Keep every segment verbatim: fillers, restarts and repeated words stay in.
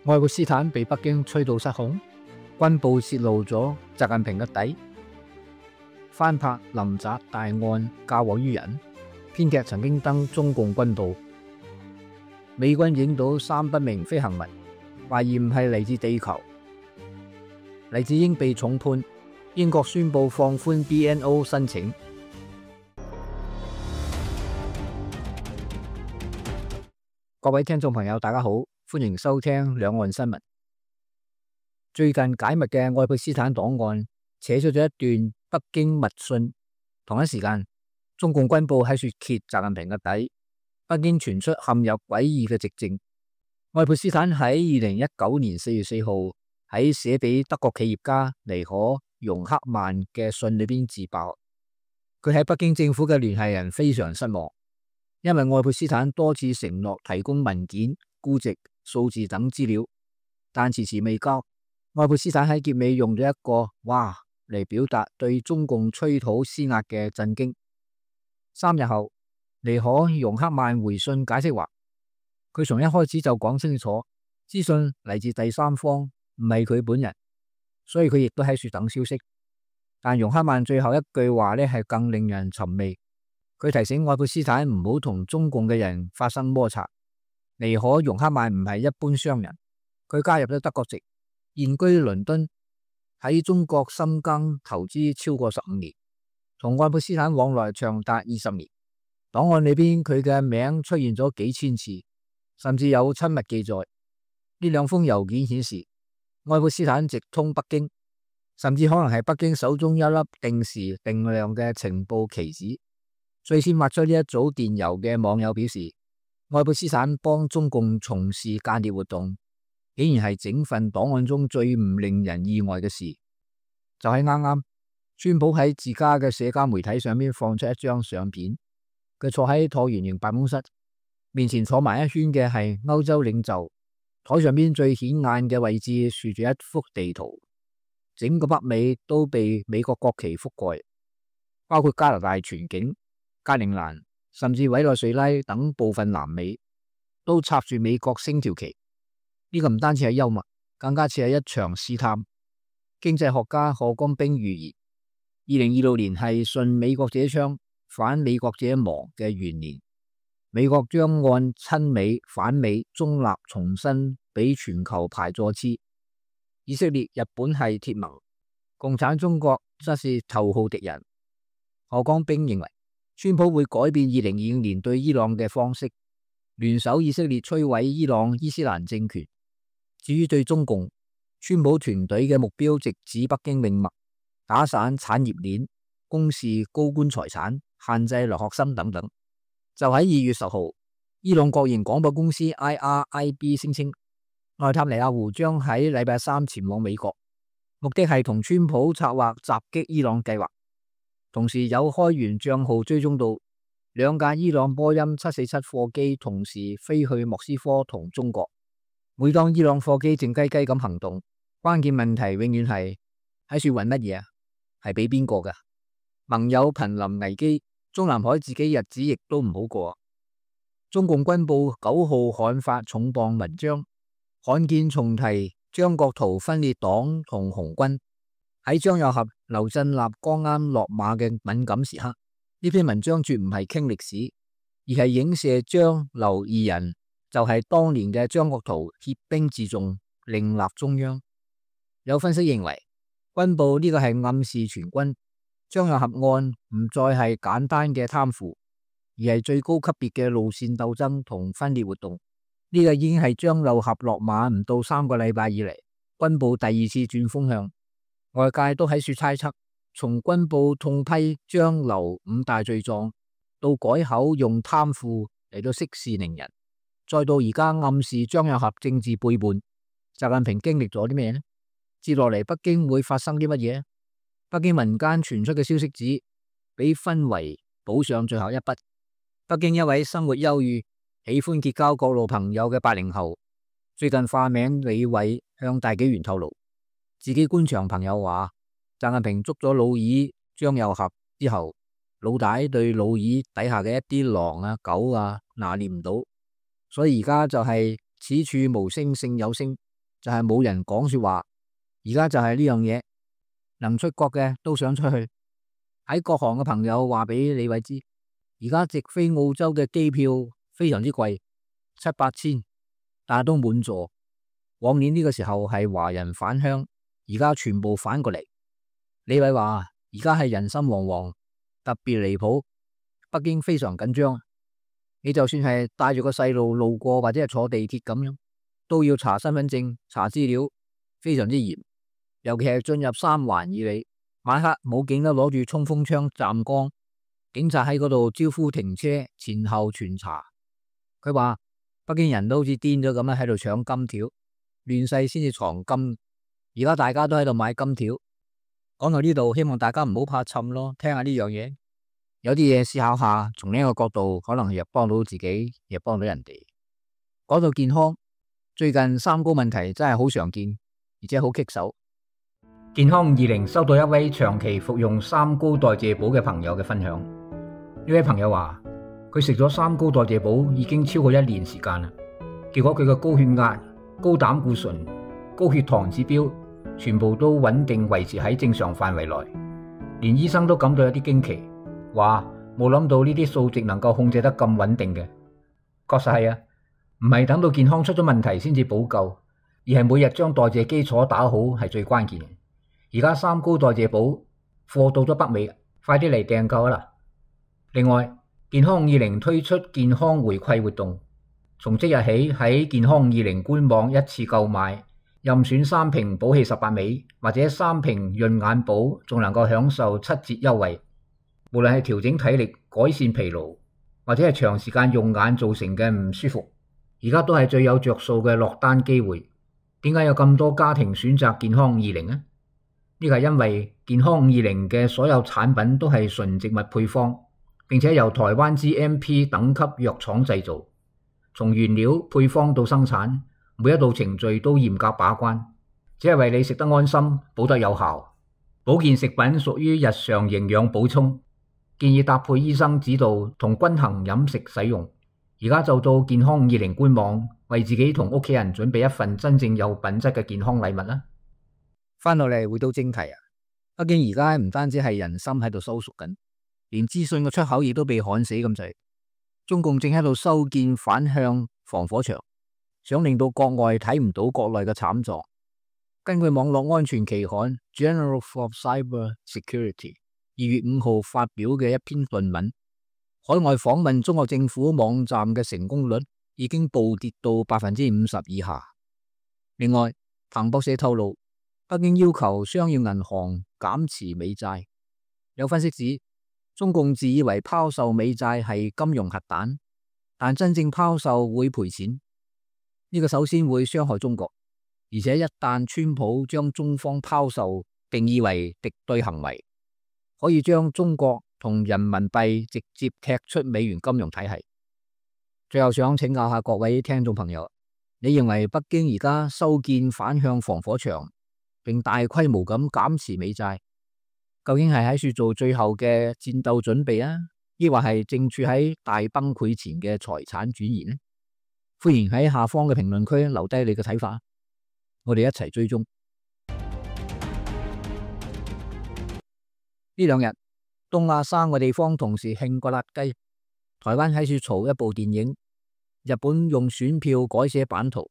愛潑斯坦被北京吹到失控，軍報泄露咗習近平嘅底，翻拍林宅大案嫁禍於人。編劇曾經登中共軍報，美軍影到三不明飛行物，懷疑唔係嚟自地球。黎智英被重判，英國宣布放寬 B N O 申請。各位聽眾朋友，大家好，歡迎收聽兩岸新聞。最近解密嘅愛潑斯坦檔案扯出咗一段北京密訊，同一時間，中共軍報喺說揭習近平嘅底，北京傳出陷入詭異嘅寂靜。愛潑斯坦喺二零一九年四月四號喺寫俾德國企業家尼可容克曼嘅信裏邊自爆，佢喺北京政府嘅聯繫人非常失望，因為愛潑斯坦多次承諾提供文件、估值、數字等資料，但遲遲未交。愛潑斯坦喺結尾用咗一個哇嚟表達對中共催討施壓嘅震驚。三日後，尼可容克曼回信解釋話，佢從一開始就講清楚，資訊嚟自第三方，唔係佢本人，所以佢亦都喺說等消息。但容克曼最後一句話呢係更令人尋味，佢提醒愛潑斯坦唔好同中共嘅人發生摩擦。尼可容克曼唔係一般商人，佢加入咗德國籍，現居倫敦，喺中國深耕投資超過十五年，同愛潑斯坦往來長達二十年。檔案裏邊佢嘅名出現咗幾千次，甚至有親密記載。呢兩封郵件顯示，愛潑斯坦直通北京，甚至可能係北京手中一粒定時定量嘅情報棋子。最先發出呢一組電郵嘅網友表示，愛潑斯坦幫中共從事間諜活動，竟然係整份檔案中最唔令人意外嘅事。就喺啱啱，川普喺自家嘅社交媒體上面放出一張相片，佢坐喺橢圓形辦公室，面前坐埋一圈嘅係歐洲領袖，台上邊最顯眼嘅位置豎住一幅地圖，整個北美都被美國國旗覆蓋，包括加拿大全境、格陵蘭甚至委內瑞拉等部分南美都插住美國星條旗。呢個唔單止係幽默，更加似係一場試探。經濟學家賀江兵預言，二零二六年係順美國者昌、反美國者亡嘅元年，美國將按親美、反美、中立重新俾全球排座次。以色列、日本係鐵盟，共產中國則是頭號敵人。賀江兵認為，川普會改變二零二五年對伊朗嘅方式，聯手以色列摧毀伊朗伊斯蘭政權。至於對中共，川普團隊嘅目標直指北京命脈，打散產業鏈、公示高官財產、限制留學生等等。就喺二月十號，伊朗國營廣播公司 I R I B 聲稱，內塔尼亞胡將喺禮拜三前往美國，目的係同川普策劃襲擊伊朗計劃。同時有開源賬號追蹤到兩架伊朗波音七四七貨機同時飛去莫斯科同中國。每當伊朗貨機靜雞雞咁行動，關鍵問題永遠係喺說運乜嘢啊？係俾邊個噶？盟友瀕臨危機，中南海自己日子亦都唔好過。中共軍報九號刊發重磅文章，罕見重提張國燾分裂黨同紅軍。喺張又俠、劉振立剛啱落馬嘅敏感時刻，呢篇文章絕唔係傾歷史，而係影射張劉二人就係當年嘅張國燾協兵自重，另立中央。有分析認為，軍報呢個係暗示全軍張又俠案唔再係簡單嘅貪腐，而係最高級別嘅路線鬥爭同分裂活動。呢、這個已經係張又俠落馬唔到三個禮拜以嚟，軍報第二次轉風向。外界都喺說猜測，從軍報痛批張劉五大罪狀，到改口用貪腐嚟到息事寧人，再到而家暗示張又俠政治背叛，習近平經歷咗啲咩呢？接落嚟北京會發生啲乜嘢？北京民間傳出嘅消息指，俾氛圍補上最後一筆。北京一位生活優裕、喜歡結交各路朋友嘅八零後，最近化名李偉向大紀元透露，自己官場朋友話，習近平捉咗老二張又俠之後，老大對老二底下嘅一啲狼啊、狗啊拿捏唔到，所以而家就係此處無聲勝有聲，就係冇人講說話。而家就係呢樣嘢，能出國嘅都想出去。喺各行嘅朋友話俾李偉知，而家直飛澳洲嘅機票非常之貴，七八千，但係都滿座。往年呢個時候係華人返鄉，而家全部反過嚟。李偉話而家係人心惶惶，特別離譜，北京非常緊張。你就算係帶住個細路路過或者係坐地鐵咁樣，都要查身份證、查資料，非常之嚴。尤其係進入三環以內，晚黑武警都攞住衝鋒槍站崗，警察喺嗰度招呼停車，前後全查。佢話北京人都好似癲咗咁樣喺度搶金條，亂世先至藏金。而家大家都喺度買金條。講到呢度，希望大家唔好怕沉咯，聽下呢樣嘢。有啲嘢思考下，從呢一個角度，可能又幫到自己，又幫到人哋。講到健康，最近三高問題真係好常見，而且好棘手。健康二零收到一位長期服用三高代謝寶嘅朋友嘅分享。呢位朋友話佢食咗三高代謝寶已經超過一年時間啦，結果佢嘅高血壓、高膽固醇、高血糖指標全部都穩定維持喺正常範圍內，連醫生都感到有啲驚奇，話冇諗到呢啲數值能夠控制得咁穩定嘅。確實係啊，唔係等到健康出咗問題先至補救，而係每日將代謝基礎打好係最關鍵嘅。而家三高代謝寶貨到咗北美，快啲嚟訂購啦！另外，健康二零推出健康回饋活動，從即日起喺健康二零官網一次購買，任選三瓶補氣十八味或者三瓶潤眼寶，仲能夠享受七折優惠。無論係調整體力、改善疲勞，或者係長時間用眼造成嘅唔舒服，而家都係最有着數嘅落單機會。點解有咁多家庭選擇健康二零呢？呢個係因為健康二零嘅所有產品都係純植物配方，並且由台灣 G M P 等級藥廠製造，從原料配方到生產，每一道程序都嚴格把關，只係為你食得安心、補得有效。保健食品屬於日常營養補充，建議搭配醫生指導同均衡飲食使用。而家就到健康二零官網，為自己同屋企人準備一份真正有品質嘅健康禮物啦。翻到嚟回到正題啊，北京而家唔單止係人心喺度收縮緊，連資訊嘅出口亦都被焊死咁滯。中共正喺度修建反向防火牆，想令到國外睇唔到國內嘅慘狀。根據網絡安全期刊 Journal of Cyber Security 二月五號發表嘅一篇論文，海外訪問中國政府網站嘅成功率已經暴跌到百分之五十以下。另外，彭博社透露，北京要求商業銀行減持美債。有分析指，中共自以為拋售美債係金融核彈，但真正拋售會賠錢。呢個首先會傷害中國，而且一旦川普將中方拋售定義為敵對行為，可以將中國同人民幣直接踢出美元金融體系。最後想請教下各位聽眾朋友，你認為北京而家修建反向防火牆，並大規模咁減持美債，究竟係喺處做最後嘅戰鬥準備啊，抑或係正處喺大崩潰前嘅財產轉移呢？歡迎喺下方嘅評論區留低你嘅睇法，我哋一齊追蹤。呢兩日東亞三個地方同時興過辣雞，台灣喺處嘈一部電影，日本用選票改寫版圖，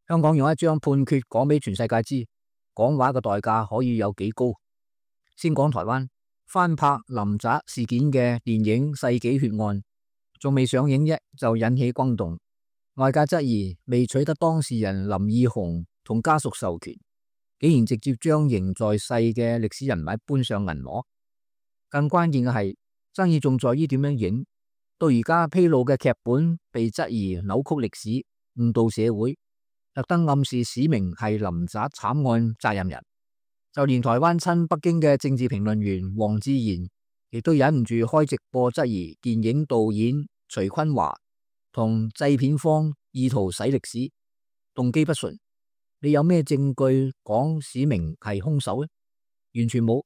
香港用一張判決講俾全世界知，講話嘅代價可以有幾高。先講台灣翻拍林宅事件嘅電影《世紀血案》，仲未上映啫就引起轟動，外界質疑未取得當事人林義雄同家屬授權，竟然直接將仍在世嘅歷史人物搬上銀幕。更關鍵嘅係，爭議仲在於點樣影。到而家披露嘅劇本被質疑扭曲歷史、誤導社會，特登暗示史明係林宅慘案責任人。就連台灣親北京嘅政治評論員黃志賢，亦都忍唔住開直播質疑電影導演徐坤華同製片方意圖洗歷史，動機不純。你有咩證據講史明係兇手呢？完全冇。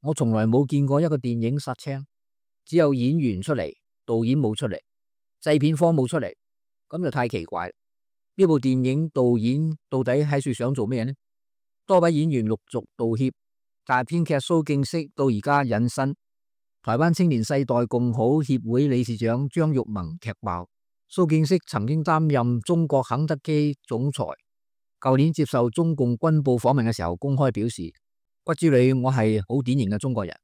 我從來冇見過一個電影殺青，只有演員出嚟，導演冇出嚟，製片方冇出嚟，咁就太奇怪。呢部電影導演到底喺度想做咩呢？多位演員陸續道歉，但係編劇蘇敬釋到而家隱身。台灣青年世代共好協會理事長張育萌劇爆，蘇敬釋曾經擔任中國肯德基總裁，舊年接受中共軍報訪問嘅時候公開表示，骨子裏我係好典型嘅中國人。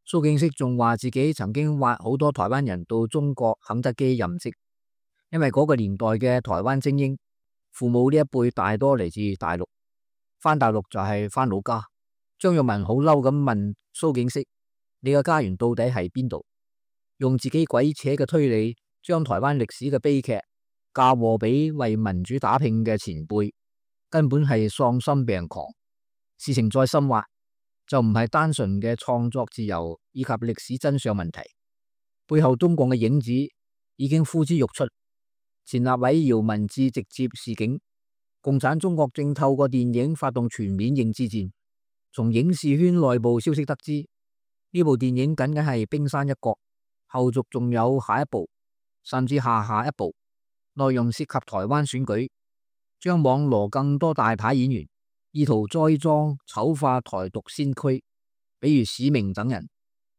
蘇敬釋仲話自己曾經挖好多台灣人到中國肯德基任職，因為嗰個年代嘅台灣精英父母呢一輩大多嚟自大陸，返大陸就係返老家。張育萌好嬲咁問蘇敬釋，你嘅家園到底係邊度？用自己鬼扯嘅推理，將台灣歷史嘅悲劇嫁禍俾為民主打拼嘅前輩，根本係喪心病狂。事情再深挖，就唔係單純嘅創作自由以及歷史真相問題，背後中共嘅影子已經呼之欲出。前立委姚文智直接示警，共產中國正透過電影發動全面認知戰。從影視圈內部消息得知，呢部電影僅僅係冰山一角，後續仲有下一部，甚至下下一部。內容涉及台灣選舉，將網羅更多大牌演員，意圖栽贓醜化台獨先驅，比如史明等人，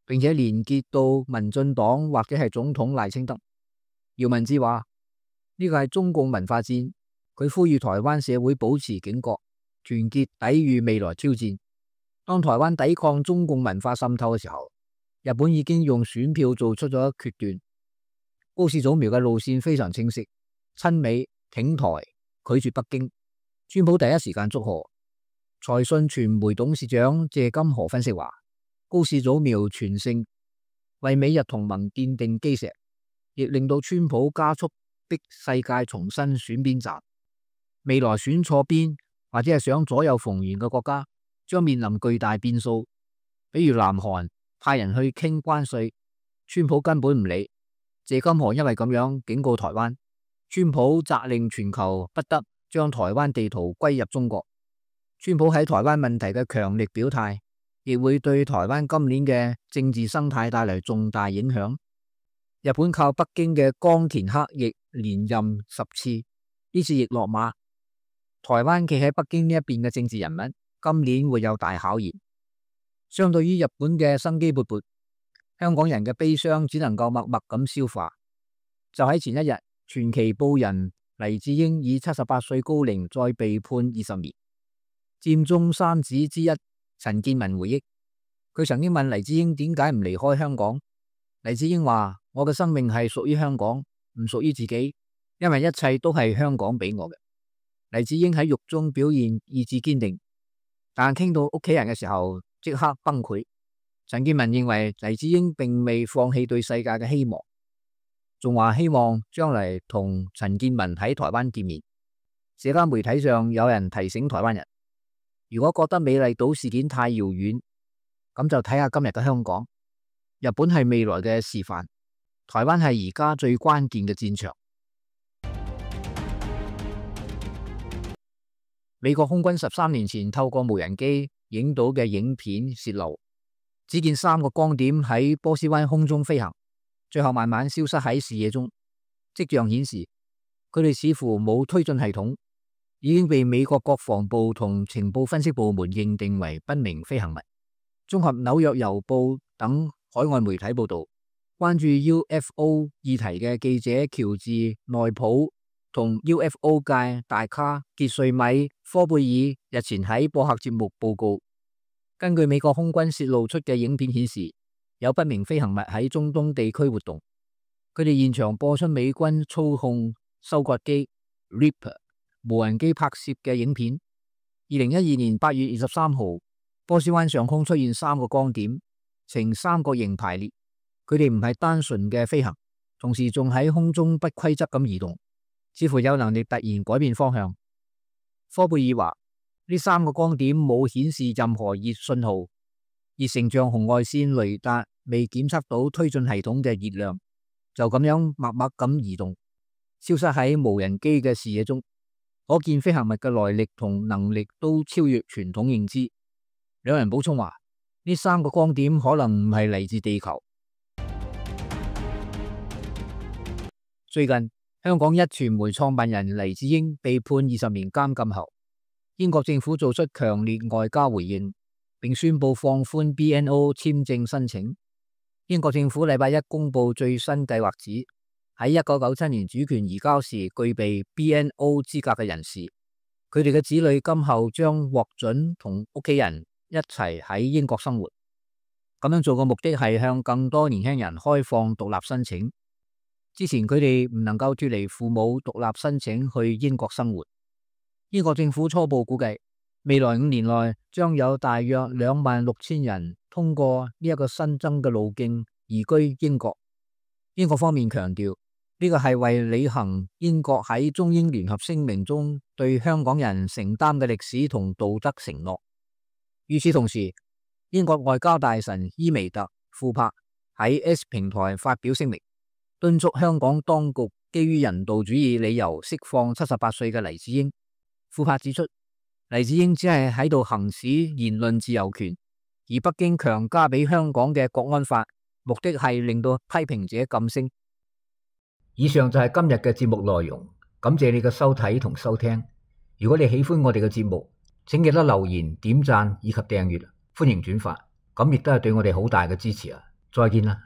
並且連結到民進黨或者係總統賴清德。姚文智話呢個係中共文化戰，佢呼籲台灣社會保持警覺，團結抵禦未來挑戰。當台灣抵抗中共文化滲透嘅時候，日本已經用選票做出咗決斷。高市早苗嘅路線非常清晰，親美挺台，拒絕北京。川普第一時間祝賀。財訊傳媒董事長謝金河分析話，高市早苗全勝，為美日同盟奠定基石，亦令到川普加速逼世界重新選邊站。未來選錯邊或者係想左右逢源嘅國家，將面臨巨大變數。比如南韓派人去傾關稅，川普根本唔理。謝金河因為咁樣警告台灣，川普責令全球不得將台灣地圖歸入中國。川普喺台灣問題嘅強力表態，亦會對台灣今年嘅政治生態帶嚟重大影響。日本靠北京嘅岡田克亦連任十次，呢次亦落馬。台灣企喺北京呢一邊嘅政治人物，今年會有大考驗。相對於日本嘅生機勃勃，香港人嘅悲傷只能夠默默咁消化。就喺前一日，傳奇報人黎智英以七十八歲高齡再被判二十年。佔中三子之一陳建文回憶，佢曾經問黎智英點解唔離開香港。黎智英話：我嘅生命係屬於香港，唔屬於自己，因為一切都係香港俾我嘅。黎智英喺獄中表現意志堅定，但傾到屋企人嘅時候即刻崩潰。陳建文認為黎智英並未放棄對世界嘅希望，仲話希望將來同陳建文喺台灣見面。社交媒體上有人提醒台灣人，如果覺得美麗島事件太遙遠，咁就睇下今日嘅香港。日本係未來嘅示範，台灣係而家最關鍵嘅戰場。美國空軍十三年前透過無人機影到嘅影片泄露，只見三個光點喺波斯灣空中飛行，最後慢慢消失喺視野中。跡象顯示，佢哋似乎冇推進系統，已經被美國國防部同情報分析部門認定為不明飛行物。綜合紐約郵報等海外媒體報道，關注 U F O 議題嘅記者喬治內普同 U F O 界大咖傑瑞米科貝爾日前喺播客節目報告，根據美國空軍泄露出嘅影片顯示，有不明飛行物喺中東地區活動。佢哋現場播出美軍操控收割機 Reaper 無人機拍攝嘅影片。二零一二年八月二十三號，波斯灣上空出現三個光點，呈三角形排列。佢哋唔係單純嘅飛行，同時仲喺空中不規則咁移動，似乎有能力突然改變方向。科貝爾話：呢三個光點冇顯示任何熱信號，熱成像紅外線雷達未檢測到推進系統嘅熱量，就咁樣默默咁移動，消失喺無人機嘅視野中。可見飛行物嘅來歷同能力都超越傳統認知。兩人補充話：呢三個光點可能唔係嚟自地球。最近香港一傳媒創辦人黎智英被判二十年監禁後，英國政府做出強烈外交回應，並宣布放寬 B N O 簽證申請。英國政府禮拜一公布最新計劃，指喺一九九七年主權移交時具備 B N O 資格嘅人士，佢哋嘅子女今後將獲准同屋企人一齊喺英國生活。咁樣做嘅目的係向更多年輕人開放獨立申請。之前佢哋唔能夠脫離父母獨立申請去英國生活。英國政府初步估計，未來五年內將有大約兩萬六千人通過呢一個新增嘅路徑移居英國。英國方面強調，呢個係為履行英國喺中英聯合聲明中對香港人承擔嘅歷史同道德承諾。與此同時，英國外交大臣伊梅特·庫珀喺 X 平台發表聲明，敦促香港當局基於人道主義理由釋放七十八歲嘅黎智英。庫珀指出，黎智英只係喺度行使言論自由權，而北京強加俾香港嘅國安法，目的係令到批評者噤聲。以上就係今日嘅節目內容，感謝你嘅收睇同收聽。如果你喜歡我哋嘅節目，請記得留言、點讚以及訂閱，歡迎轉發，咁亦都係對我哋好大嘅支持啊！再見啦。